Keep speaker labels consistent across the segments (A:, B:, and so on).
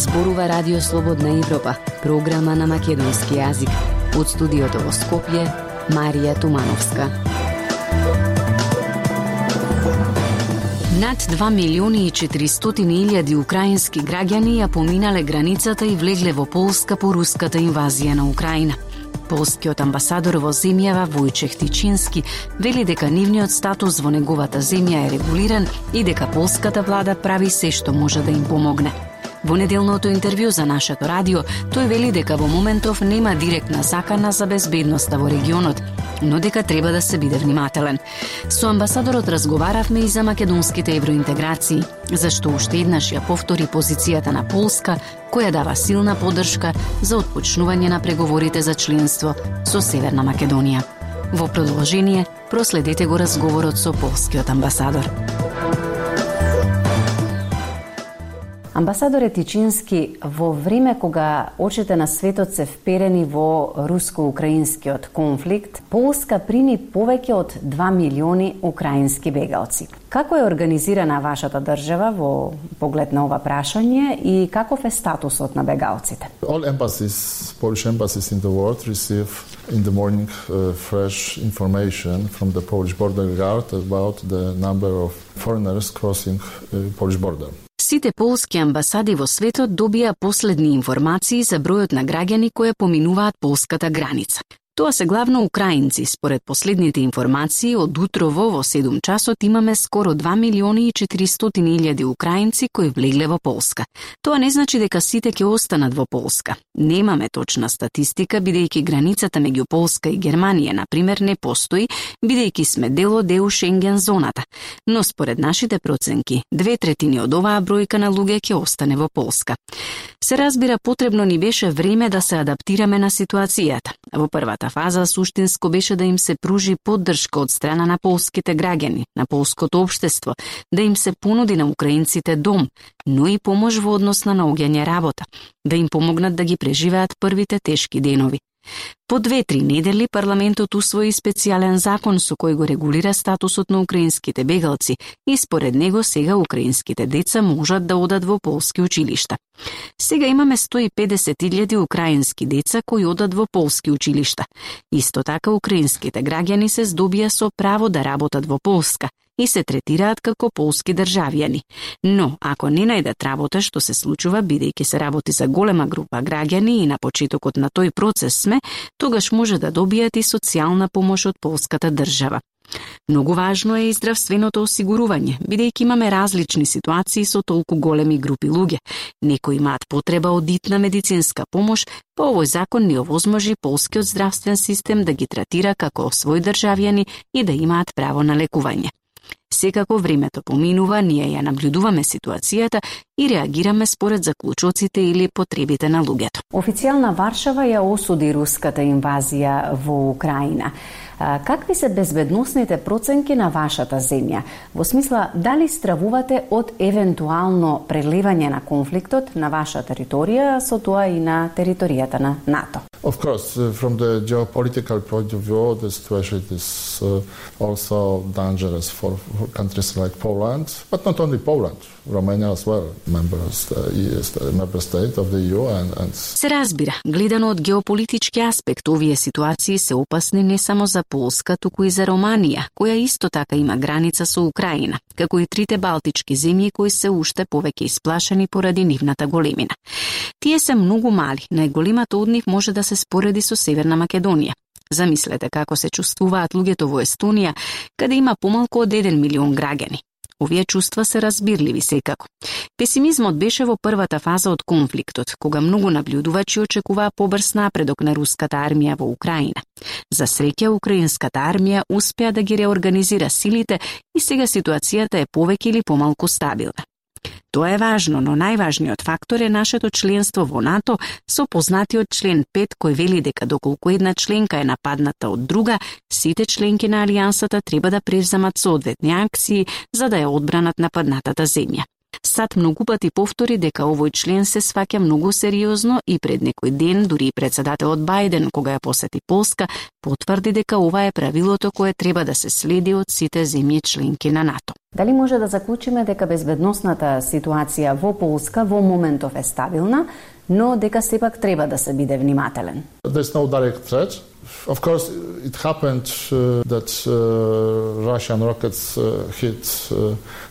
A: Зборува Радио Слободна Европа, програма на македонски јазик. Од студиото во Скопје, Марија Тумановска. Над 2.400.000 украински граѓани ја поминале границата и влегле во Полска по руската инвазија на Украина. Полскиот амбасадор во земјава Војчех Тичински вели дека нивниот статус во неговата земја е регулиран и дека полската влада прави се што може да им помогне. Во неделното интервју за нашето радио, тој вели дека во моментов нема директна закана за безбедноста во регионот, но дека треба да се биде внимателен. Со амбасадорот разговаравме и за македонските евроинтеграции, зашто уште еднаш ја повтори позицијата на Полска, која дава силна поддршка за отпочнување на преговорите за членство со Северна Македонија. Во продолжение, проследете го разговорот со полскиот амбасадор. Амбасадоре Тичински, во време кога очите на светот се вперени во руско-украинскиот конфликт, Полска прими повеќе од 2 милиони украински бегалци. Како е организирана вашата држава во поглед на ова прашање и каков е статусот на бегалците?
B: All embassies, Polish embassies in the world receive in the morning fresh information from the Polish border guard about the number of foreigners crossing Polish border.
A: Сите полски амбасади во светот добија последни информации за бројот на граѓани кои поминуваат полската граница. Тоа се главно украинци. Според последните информации, од утрово во 7 часот имаме скоро 2.400.000 украинци кои влегле во Полска. Тоа не значи дека сите ќе останат во Полска. Немаме точна статистика, бидејќи границата меѓу Полска и Германија, например, не постои, бидејќи сме дел од ЕУ Шенген зоната. Но според нашите проценки, 2/3 од оваа бројка на луѓе ќе остане во Полска. Се разбира, потребно ни беше време да се адаптираме на ситуацијата. Во првата фаза суштинско беше да им се пружи поддршка од страна на полските граѓани, на полското општество, да им се понуди на украинците дом, но и помош во однос на наоѓање работа, да им помогнат да ги преживеат првите тешки денови. По 2-3 недели парламентот усвои специјален закон со кој го регулира статусот на украинските бегалци и според него сега украинските деца можат да одат во полски училишта. Сега имаме 150.000 украински деца кои одат во полски училишта. Исто така украинските граѓани се здобија со право да работат во Полска и се третираат како полски државјани. Но, ако не најдат работа, што се случува бидејќи се работи за голема група граѓани и на почетокот на тој процес сме, тогаш може да добијат и социјална помош од полската држава. Многу важно е и здравственото осигурување, бидејќи имаме различни ситуации со толку големи групи луѓе. Некои имаат потреба од итна медицинска помош, па овој закон ни овозможи полскиот здравствен систем да ги третира како свој државјани и да имаат право на лекување. Секако времето поминува, ние ја наблюдуваме ситуацијата и реагираме според заклучоците или потребите на луѓето. Официјална Варшава ја осуди руската инвазија во Украина. Какви се безбедносните проценки на вашата земја? Во смисла, дали стравувате од евентуално прелевање на конфликтот на ваша територија, со тоа и на територијата на НАТО?
B: Of course, from the geopolitical point of view, the situation is also dangerous for countries like Poland, but not only Poland, Romania as well, member state of the EU and...
A: Се разбира, гледано од геополитички аспект, овие ситуации се опасни не само за Полска, туку и за Романија, која исто така има граница со Украина, како и трите балтички земји кои се уште повеќе исплашени поради нивната големина. Тие се многу мали, најголемата од нив може да се спореди со Северна Македонија. Замислете како се чувствуваат луѓето во Естонија, каде има помалку од 1 милион граѓани. Овие чувства се разбирливи секако. Песимизмот беше во првата фаза од конфликтот, кога многу наблюдувачи очекуваа побрз напредок на руската армија во Украина. За среќа, украинската армија успеа да ги реорганизира силите и сега ситуацијата е повеќе или помалку стабилна. Тоа е важно, но најважниот фактор е нашето членство во НАТО со познатиот член 5 кој вели дека доколку една членка е нападната од друга, сите членки на алијансата треба да преземат соодветни акции за да ја одбранат нападнатата земја. САД многу пати повтори дека овој член се сваќа многу сериозно и пред некој ден дури председателот Бајден, кога ја посети Полска, потврди дека ова е правилото кое треба да се следи од сите земји членки на НАТО. Дали може да заклучиме дека безбедносната ситуација во Полска во моментов е стабилна, но дека сепак треба да се биде внимателен?
B: There's no direct threat. Of course, it happened that Russian rockets hit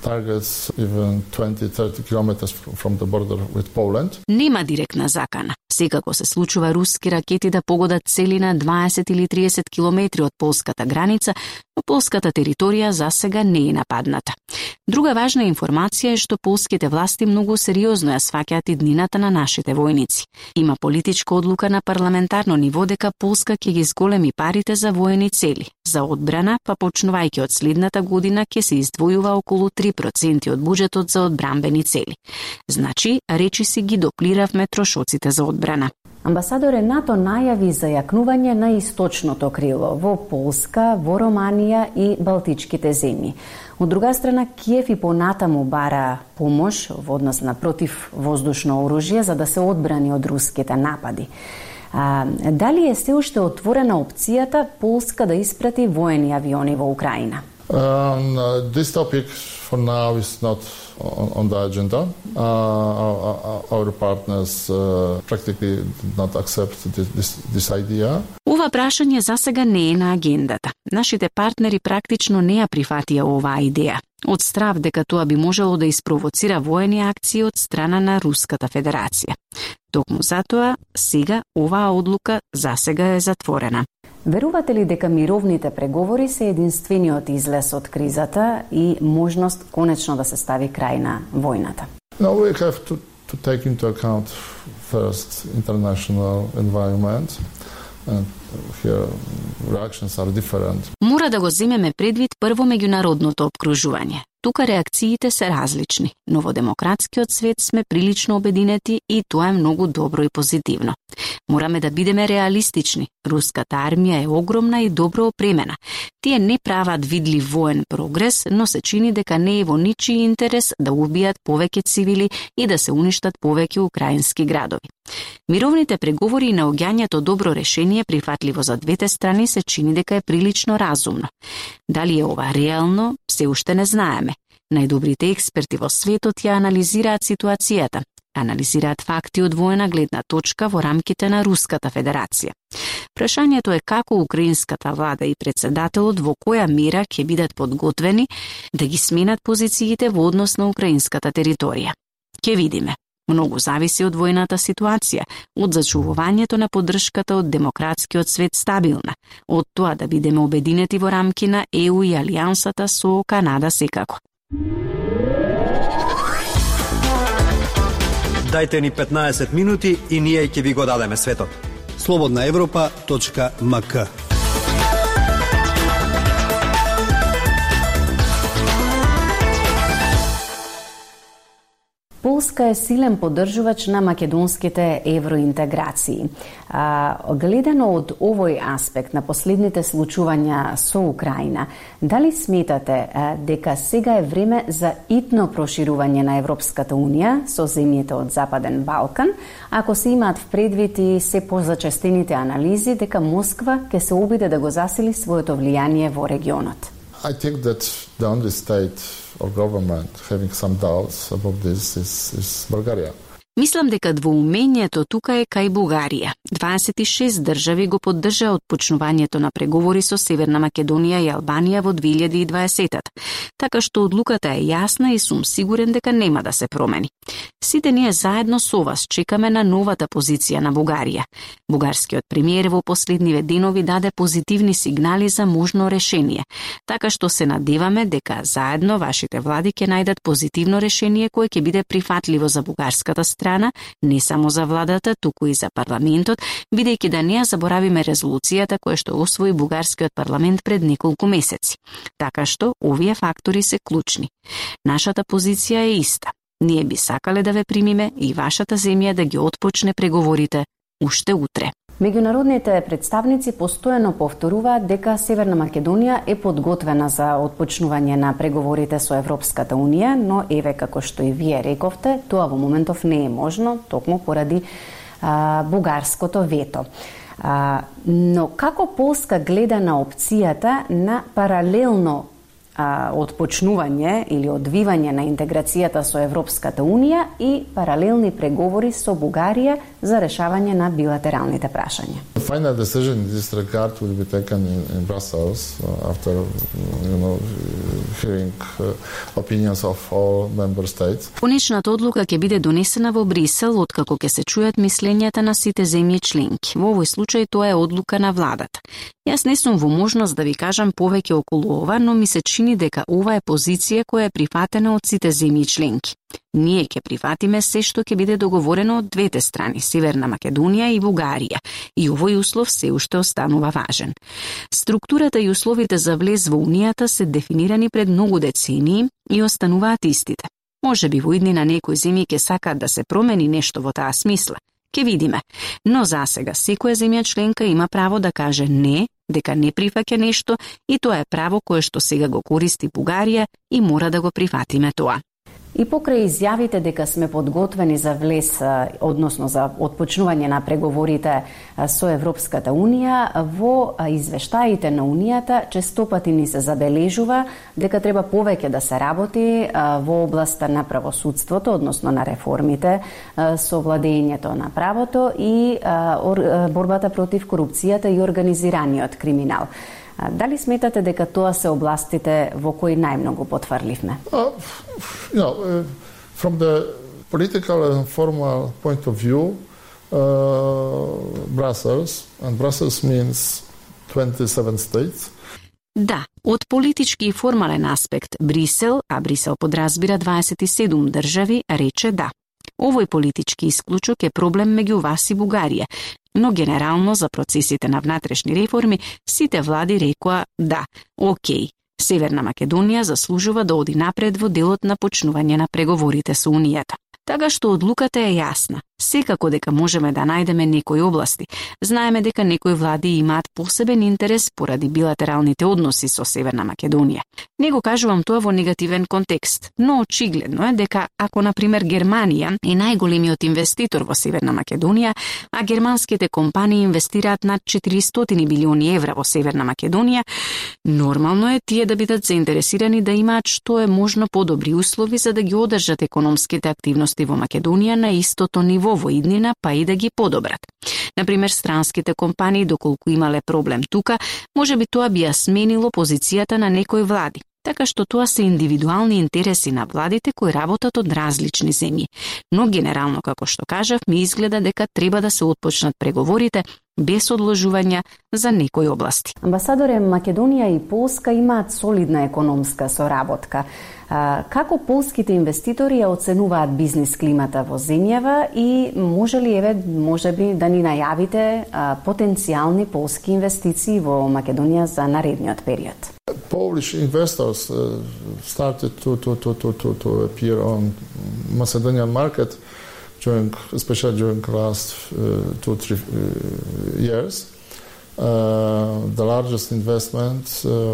B: targets even 20-30 kilometers from the border with Poland.
A: Нема директна закана. Секако се случува руски ракети да погодат цели на 20 или 30 километри од полската граница, но полската територија засега не е нападната. Друга важна информација е што полските власти многу сериозно ја сваќаат иднината на нашите војници. Има политичка одлука на парламентарно ниво дека Полска ќе ги зголеми парите за воени цели. За одбрана, па почнувајќи од следната година ќе се издвојува околу 3% од буџетот за одбранбени цели. Значи, речиси ги доплиравме трошоците за одбрана. Амбасадоре, НАТО најави за јакнување на источното крило во Полска, во Романија и Балтичките земји. Од друга страна, Киев и понатаму бара помош во однос на противвоздушно оружје за да се одбрани од руските напади. Дали е се уште отворена опцијата Полска да испрати воени авиони во Украина?
B: This topic for now is not on the agenda. Our partners practically did not accept this idea.
A: Ова прашање засега не е на агендата. Нашите партнери практично не ја прифатија оваа идеја, од страв дека тоа би можело да испровоцира воени акции од страна на Руската Федерација. Токму затоа, сега оваа одлука засега е затворена. Верувате ли дека мировните преговори се единствениот излез од кризата и можност конечно да се стави крај на војната?
B: No, we have to take into account first international environment. And here reactions are different.
A: Мора да го земеме предвид прво меѓународното опкружување. Тука реакциите се различни, но во демократскиот свет сме прилично обединети и тоа е многу добро и позитивно. Мораме да бидеме реалистични. Руската армија е огромна и добро опремена. Тие не прават видлив воен прогрес, но се чини дека не е во ничии интерес да убијат повеќе цивили и да се уништат повеќе украински градови. Мировните преговори и наоѓањето добро решение прифатливо за двете страни се чини дека е прилично разумно. Дали е ова реално, се уште не знаеме. Најдобрите експерти во светот ја анализираат ситуацијата, анализираат факти од воена гледна точка во рамките на Руската Федерација. Прашањето е како украинската влада и председателот во која мера ќе бидат подготвени да ги сменат позициите во однос на украинската територија. Ќе видиме. Многу зависи од војната ситуација, од зачувувањето на поддршката од демократскиот свет стабилна, од тоа да бидеме обединети во рамки на ЕУ и алијансата со Канада секако.
C: Дајте ни 15 минути и ние ќе ви го дадеме светот.
D: slobodnaevropa.mk
A: Полска е силен поддржувач на македонските евроинтеграции. Гледано од овој аспект на последните случувања со Украина, дали сметате дека сега е време за итно проширување на Европската Унија со земјите од Западен Балкан, ако се имаат в предвид и се позачестените анализи дека Москва ќе се обиде да го засили своето влијание во регионот?
B: I think that the only state or government having some doubts about this is Bulgaria.
A: Мислам дека двоумењето тука е кај Бугарија. 26 држави го поддржаа отпочнувањето на преговори со Северна Македонија и Албанија во 2020-та, така што одлуката е јасна и сум сигурен дека нема да се промени. Сите ние заедно со вас чекаме на новата позиција на Бугарија. Бугарскиот премиер во последниве денови даде позитивни сигнали за можно решение, така што се надеваме дека заедно вашите влади ќе најдат позитивно решение кое ќе биде прифатливо за бугарската страна, не само за владата, туку и за парламентот, бидејќи да не ја заборавиме резолуцијата која што освои бугарскиот парламент пред неколку месеци. Така што овие фактори се клучни. Нашата позиција е иста. Ние би сакале да ве примиме и вашата земја да ги отпочне преговорите уште утре. Меѓународните представници постојано повторуваат дека Северна Македонија е подготвена за отпочнување на преговорите со Европската Унија, но еве како што и вие рековте, тоа во моментов не е можно, токму поради бугарското вето. Но како Полска гледа на опцијата на паралелно отпочнување или одвивање на интеграцијата со Европската Унија и паралелни преговори со Бугарија за решавање на билатералните прашања.
B: The final decision in this regard will be taken in Brussels after hearing opinions of all member states.
A: Конечната одлука ќе биде донесена во Брисел откако ќе се чујат мислењата на сите земји членки. Во овој случај тоа е одлука на владата. Јас не сум во можност да ви кажам повеќе околу ова, но ми се чини дека ова е позиција која е прифатена од сите земји членки. Ние ќе прифатиме се што ќе биде договорено од двете страни, Северна Македонија и Бугарија, и овој услов се уште останува важен. Структурата и условите за влез во Унијата се дефинирани пред многу децении и остануваат истите. Може би во иднина некои земји ќе сакаат да се промени нешто во таа смисла. Ке видиме. Но засега секоја земја членка има право да каже не, дека не прифаќа нешто и тоа е право кое што сега го користи Бугарија и мора да го прифатиме тоа. И покрај изјавите дека сме подготвени за влез, односно за отпочнување на преговорите со Европската Унија, во извештаите на Унијата честопати ни се забележува дека треба повеќе да се работи во областа на правосудството, односно на реформите, со владењето на правото и борбата против корупцијата и организираниот криминал. Дали сметате дека тоа се областите во кои најмногу потврливме?
B: From the political and formal point of view, Brussels means 27 states.
A: Да, од политички и формален аспект Брисел, а Брисел подразбира 27 држави, рече да. Овој политички исклучок е проблем меѓу вас и Бугарија, но генерално за процесите на внатрешни реформи сите влади рекоа да, окей, Северна Македонија заслужува да оди напред во делот на почнување на преговорите со Унијата. Така што одлуката е јасна. Секако дека можеме да најдеме некои области. Знаеме дека некои влади имаат посебен интерес поради билатералните односи со Северна Македонија. Не го кажувам тоа во негативен контекст, но очигледно е дека ако, например, Германија е најголемиот инвеститор во Северна Македонија, а германските компании инвестираат над 400 билиони евра во Северна Македонија, нормално е тие да бидат заинтересирани да имаат што е можно подобри услови за да ги одржат економските активности во Македонија на истото ниво во иднина, па и да ги подобрат. Например, странските компании, доколку имале проблем тука, можеби тоа би ја сменило позицијата на некои влади. Така што тоа се индивидуални интереси на владите кои работат од различни земји. Но генерално, како што кажав, ми изгледа дека треба да се отпочнат преговорите без одложувања за некои области. Амбасадоре, Македонија и Полска имаат солидна економска соработка. Како полските инвеститори ја оценуваат бизнис климата во земјава и може би да ни најавите потенцијални полски инвестиции во Македонија за наредниот период?
B: Polish investors started to appear on Macedonian market especially during the last 2-3 years. The largest investment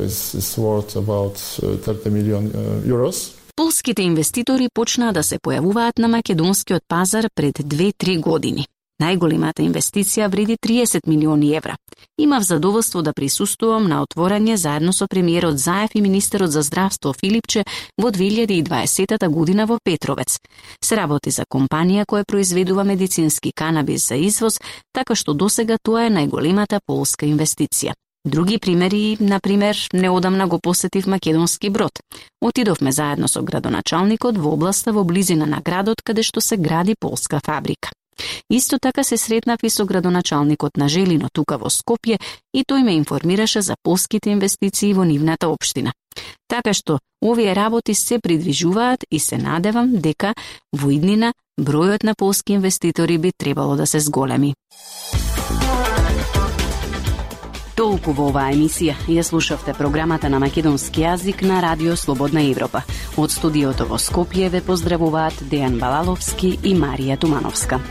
B: is worth about 30 million euros.
A: Полските инвеститори почнаа да се појавуваат на македонскиот пазар пред 2-3 години. Најголемата инвестиција вреди 30 милиони евра. Имав задоволство да присуствувам на отворање заедно со премиерот Заев и министерот за здравство Филипче во 2020 година во Петровец. Се работи за компанија која произведува медицински канабис за извоз, така што досега тоа е најголемата полска инвестиција. Други примери, например, неодамна го посетив Македонски Брод. Отидовме заедно со градоначалникот во областа во близина на градот каде што се гради полска фабрика. Исто така се сретнав и со градоначалникот на Желино тука во Скопје и тој ме информираше за полските инвестиции во нивната општина. Така што овие работи се придвижуваат и се надевам дека во иднина бројот на полски инвеститори би требало да се зголеми. Толку во оваа емисија ја слушавте програмата на македонски јазик на Радио Слободна Европа. Од студиото во Скопје ве поздравуваат Дејан Балаловски и Марија Тумановска.